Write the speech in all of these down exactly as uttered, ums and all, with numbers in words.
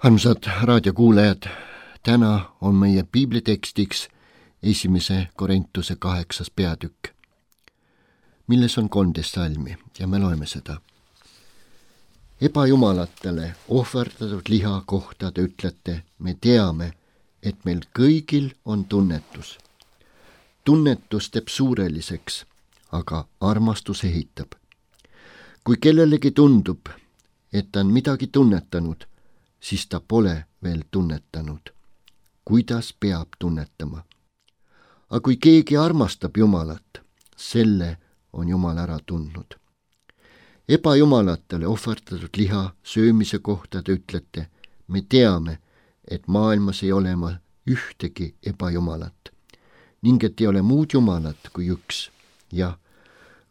Armsad raadiokuulajad, täna on meie piiblitekstiks esimese Korintuse kaheksas peatükk, milles on kolmteist salmi ja me loeme seda. Ebajumalatele ohverdatud liha kohta te ütlete, me teame, et meil kõigil on tunnetus. Tunnetus teeb suureliseks, aga armastus ehitab. Kui kellelegi tundub, et ta on midagi tunnetanud, siis ta pole veel tunnetanud. Kuidas peab tunnetama? Aga kui keegi armastab Jumalat, selle on Jumal ära tundnud. Ebajumalatele ohverdatud liha söömise kohta te ütlete, me teame, et maailmas ei ole ühtegi ebajumalat, ning et ei ole muud jumalat kui üks. Ja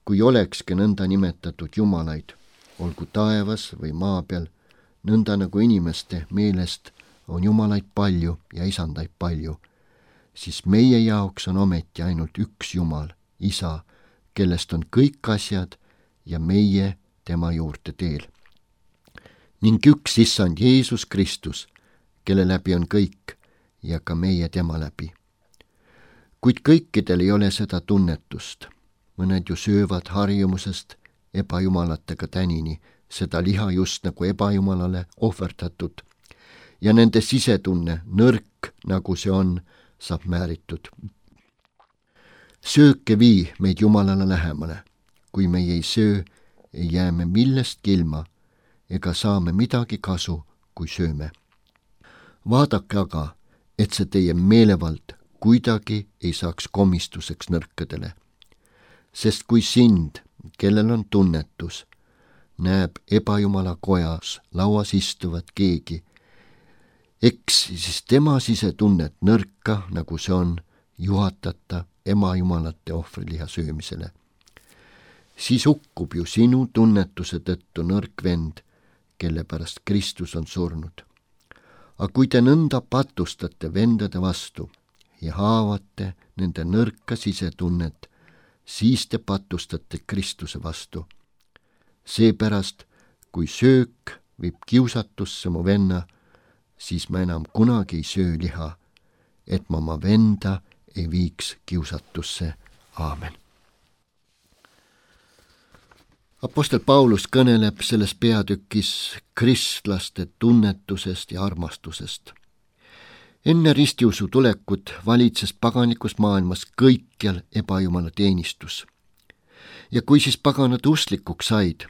kui olekski nõnda nimetatud jumalaid, olgu taevas või maa peal, nõnda nagu inimeste meelest on jumalaid palju ja isandaid palju, siis meie jaoks on ometi ainult üks Jumal, Isa, kellest on kõik asjad ja meie tema juurde teel. Ning üks Issand Jeesus Kristus, kelle läbi on kõik ja ka meie tema läbi. Kuid kõikidel ei ole seda tunnetust. Mõned ju söövad harjumusest ebajumalatega tänini, seda liha just nagu ebajumalale ohverdatud, ja nende sisetunne, nõrk nagu see on, saab määritud. Sööke vii meid Jumalale lähemale. Kui meie ei söö, ei jää me millestki ilma, ega saame midagi kasu, kui sööme. Vaadake aga, et see teie meelevald kuidagi ei saaks komistuseks nõrkadele. Sest kui sind, kellel on tunnetus, näeb ebajumala kojas lauas istuvat keegi, eks siis tema sisetunnet nõrka, nagu see on, juhatata emajumalate ohvriliha söömisele. Siis hukkub ju sinu tunnetuse tõttu nõrk vend, kelle pärast Kristus on surnud. Aga kui te nõnda patustate vendade vastu ja haavate nende nõrka sisetunnet, siis te patustate Kristuse vastu. Seepärast, kui söök viib kiusatusse mu venna, siis ma enam kunagi ei söö liha, et ma oma venda ei viiks kiusatusse. Aamen. Apostel Paulus kõneleb selles peatükis kristlaste tunnetusest ja armastusest. Enne ristiusu tulekut valitses paganikus maailmas kõikjal ebajumala teenistus. Ja kui siis paganad usklikuks said,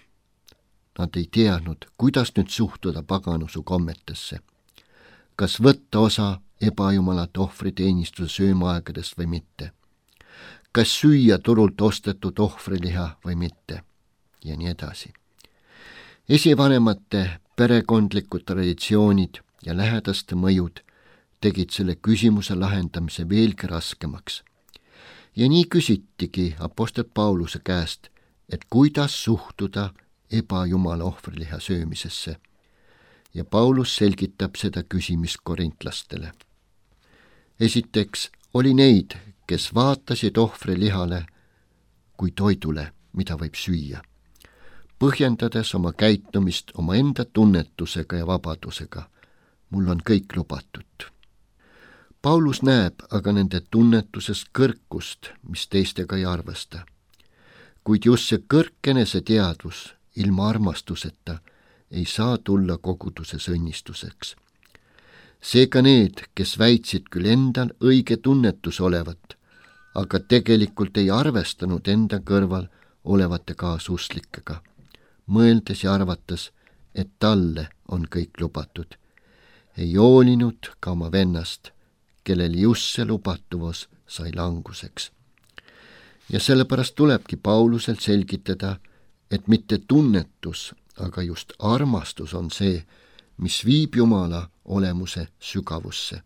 nad ei teadnud, kuidas nüüd suhtuda paganusu kommetesse. Kas võtta osa ebajumalate ohvriteenistuse söömaaegadest või mitte? Kas süüa turult ostetud ohvriliha või mitte? Ja nii edasi. Esivanemate perekondlikud traditsioonid ja lähedaste mõjud tegid selle küsimuse lahendamise veelgi raskemaks. Ja nii küsitigi apostel Pauluse käest, et kuidas suhtuda ebajumala ohvriliha söömisesse. Ja Paulus selgitab seda küsimist korintlastele. Esiteks oli neid, kes vaatasid ohvrilihale kui toidule, mida võib süüa, põhjendades oma käitumist oma enda tunnetusega ja vabadusega. Mul on kõik lubatud. Paulus näeb aga nende tunnetusest kõrkust, mis teistega ei arvesta. Kuid just see kõrkenese teadvus ilma armastuseta ei saa tulla koguduses õnnistuseks. Seega need, kes väitsid küll endal õige tunnetus olevat, aga tegelikult ei arvestanud enda kõrval olevate kaasusklikega, mõeldes ja arvates, et talle on kõik lubatud. Ei hoolinud ka oma vennast, kellel just see lubatuvus sai languseks. Ja sellepärast tulebki Paulusel selgitada, et mitte tunnetus, aga just armastus on see, mis viib Jumala olemuse sügavusse,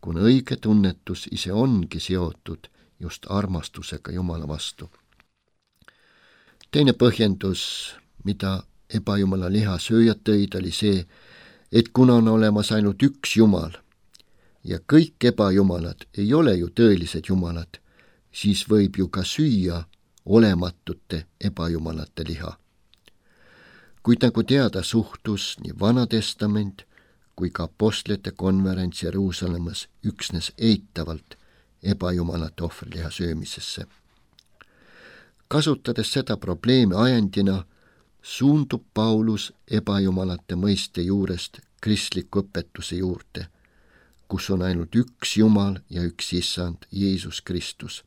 kuna õige tunnetus ise ongi seotud just armastusega Jumala vastu. Teine põhjendus, mida ebajumala liha sööjad tõid, oli see, et kuna on olemas ainult üks Jumal ja kõik ebajumalad ei ole ju tõelised jumalad, siis võib ju ka süüa olematute ebajumalate liha. Kuid nagu teada, suhtus nii Vana Testament kui ka apostlite konverents Jeruusalemmas üksnes eitavalt ebajumalate ohvriliha söömisesse. Kasutades seda probleemi ajendina, suundub Paulus ebajumalate mõiste juurest kristliku õpetuse juurde, kus on ainult üks Jumal ja üks Issand, Jeesus Kristus.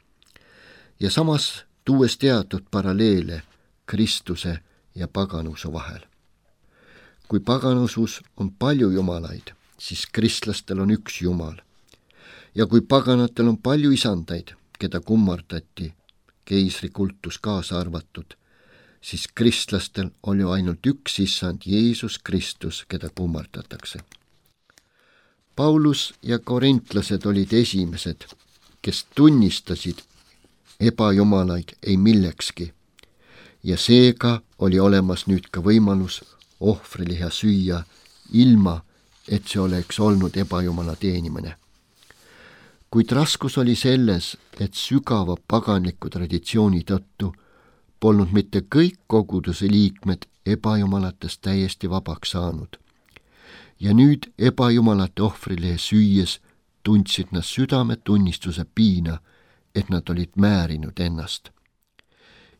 Ja samas tuues teatud paralleele Kristuse ja paganuse vahel. Kui paganusus on palju jumalaid, siis kristlastel on üks Jumal. Ja kui paganatel on palju isandaid, keda kummardati, keisri kultus kaasa arvatud, siis kristlastel oli ainult üks Issand, Jeesus Kristus, keda kummardatakse. Paulus ja korintlased olid esimesed, kes tunnistasid ebajumalaid ei millekski, ja seega oli olemas nüüd ka võimalus ohvriliha süüa, ilma et see oleks olnud ebajumala teenimine. Kuid raskus oli selles, et sügava paganliku traditsiooni tõttu polnud mitte kõik koguduse liikmed ebajumalatest täiesti vabaks saanud. Ja nüüd ebajumalate ohvriliha süües tundsid nad südametunnistuse piina, et nad olid määrinud ennast.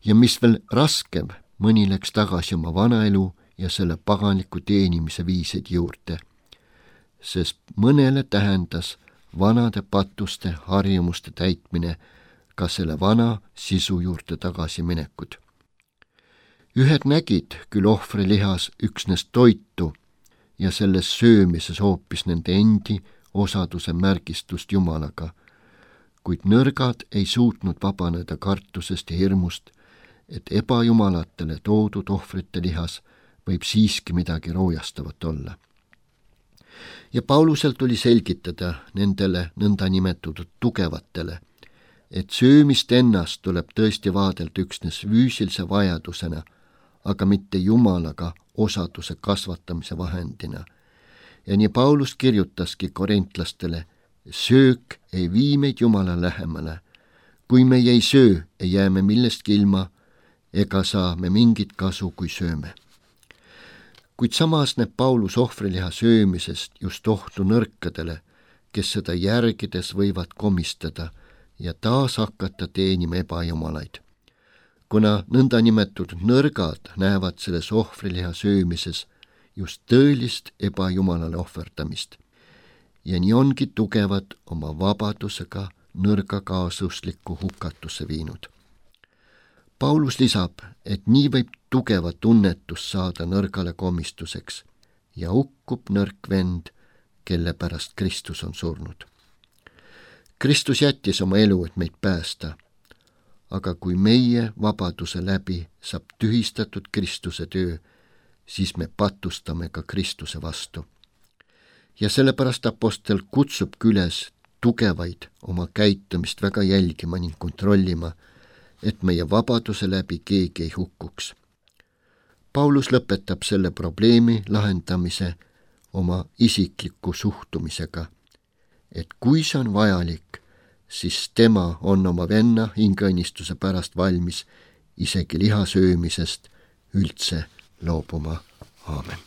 Ja mis veel raskem, mõni läks tagasi oma vanaelu ja selle paganliku teenimise viisid juurde, sest mõnele tähendas vanade patuste harjumuste täitmine ka selle vana sisu juurde tagasi minekud. Ühed nägid küll ohvrilihas üksnes toitu ja selles söömises hoopis nende endi osaduse märgistust Jumalaga, kuid nõrgad ei suutnud vabaneda kartusest ja hirmust, et ebajumalatele toodud ohvrite lihas võib siiski midagi roojastavat olla. Ja Paulusel tuli selgitada nendele nõndanimetatud tugevatele, et söömist ennast tuleb tõesti vaadelda üksnes füüsilise vajadusena, aga mitte Jumalaga osaduse kasvatamise vahendina. Ja nii Paulus kirjutaski korintlastele, söök ei vii meid Jumala lähemale. Kui me ei söö, ei jää me millestki ilma, ega saa me mingit kasu, kui sööme. Kuid samas näeb Paulus ohvriliha söömisest just ohtu nõrkadele, kes seda järgides võivad komistada ja taas hakata teenima ebajumalaid. Kuna nõndanimetatud nõrgad näevad selles ohvriliha söömises just tõelist ebajumalale ohverdamist. Ja nii ongi tugevad oma vabadusega nõrga kaasuslikku hukatusse viinud. Paulus lisab, et nii võib tugeva tunnetus saada nõrgale komistuseks ja hukkub nõrk vend, kelle pärast Kristus on surnud. Kristus jättis oma elu, et meid päästa, aga kui meie vabaduse läbi saab tühistatud Kristuse töö, siis me patustame ka Kristuse vastu. Ja sellepärast apostel kutsub üles tugevaid oma käitumist väga jälgima ning kontrollima, et meie vabaduse läbi keegi ei hukkuks. Paulus lõpetab selle probleemi lahendamise oma isikliku suhtumisega, et kui see on vajalik, siis tema on oma venna hingeõnnistuse pärast valmis isegi liha söömisest üldse loobuma. Aamen.